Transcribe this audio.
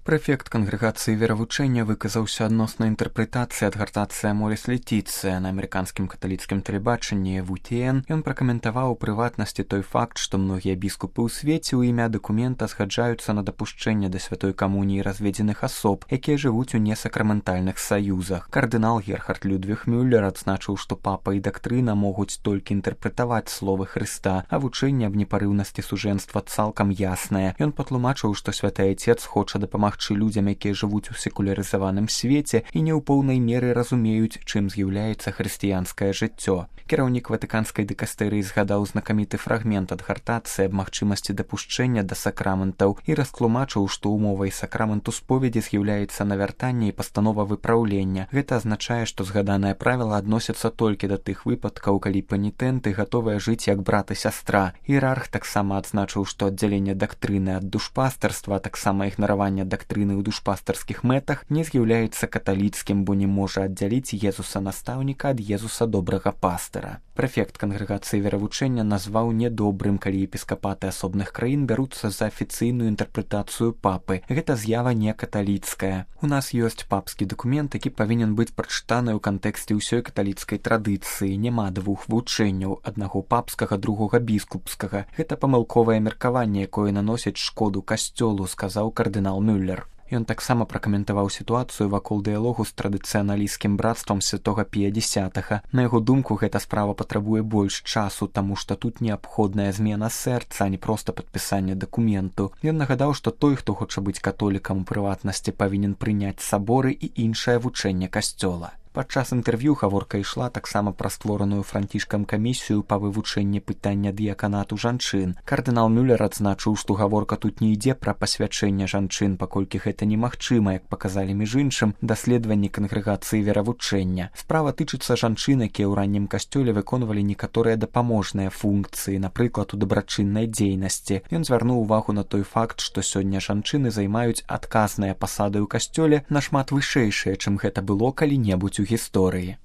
Прэфект кангрэгацыі веравучэння выказаўся адносна інтэрпрэтацыі адгартацыі Аморис Летіцыя на амерыканскім каталіцкім тэлебачанні WTN. Ён пракаментаваў у прыватнасці той факт, што многія біскупы ў свеце ў імя дакумента згаджаюцца на дапушчэнне да святой камуніі разведзеных асоб, якія жывуць у несакраментальных саюзах. Кардынал Герхард Людвіг Мюллер адзначыў, што папа і дактрына могуць толькі інтэрпрэтаваць словы Хрыста, а вучэнне аб непарыўнасці сужэнства цалкам яснае. Ён патлумачыў, што святы айцец хоча дапамагчы людзям, якія жывуць у секулярызаваным свеце і не ў поўнай меры разумеюць, чым з'яўляецца хрысціянскае жыццё. Кіраўнік ватыканскай дыкастэрыі згадаў знакаміты фрагмент адгартацыі аб магчымасці дапушчэння да сакраментаў і растлумачыў, што умовай сакраменту споведзі з'яўляецца навяртанне і пастанова выпраўлення. Гэта азначае, што згаданае правіла адносяцца толькі да тых выпадкаў, калі панітэнты гатовыя жыць як брат і сястра. Іерарх таксама адзначыў, што аддзяленне дактрыны ад душпастарства, а таксама ігнараванне дактрыны ў душпастарскіх мэтах не з'яўляецца каталіцкім, бо не можа аддзяліць Езуса настаўніка ад Езуса добрага пастыра. Прэфект кангрэгацыі веравучэння назваў нядобрым, калі епіскапаты асобных краін бяруцца за афіцыйную інтэрпрэтацыю папы. Гэта з'ява не каталіцкая. У нас ёсць папскі дакумент, які павінен быць прачытаны ў кантэксце ўсёй каталіцкай традыцыі. Няма двух вучэнняў, аднаго папскага, другога біскупскага. Гэта памылковае меркаванне, якое наносіць шкоду касцёлу, сказаў кардынал Мюллер. Ён таксама пракаментаваў сітуацыю вакол дыялогу з традыцыяналісцкім брацтвам святога Пія X. На яго думку, гэта справа патрабуе больш часу, таму што тут неабходная змена сэрца, а не проста падпісанне дакументу. Ён нагадаў, што той, хто хоча быць католікам у прыватнасці, павінен прыняць саборы і іншае вучэнне касцёла. Падчас інтэрв'ю гаворка ішла таксама пра створаную Францішкам камісію па вывучэнні пытання дыяканату жанчын. Кардынал Мюллер адзначыў, што гаворка тут не ідзе пра пасвячэнне жанчын, паколькі гэта немагчыма, як паказалі між іншым даследаванні кангрэгацыі веравучэння. Справа тычыцца жанчын, якія ў раннім касцёле выконвалі некаторыя дапаможныя функцыі, напрыклад, у дабрачыннай дзейнасці. Ён звярнуў увагу на той факт, што сёння жанчыны займаюць адказныя пасады ў касцёле нашмат вышэйшыя, чым гэта было калі-небудзь у гісторыі.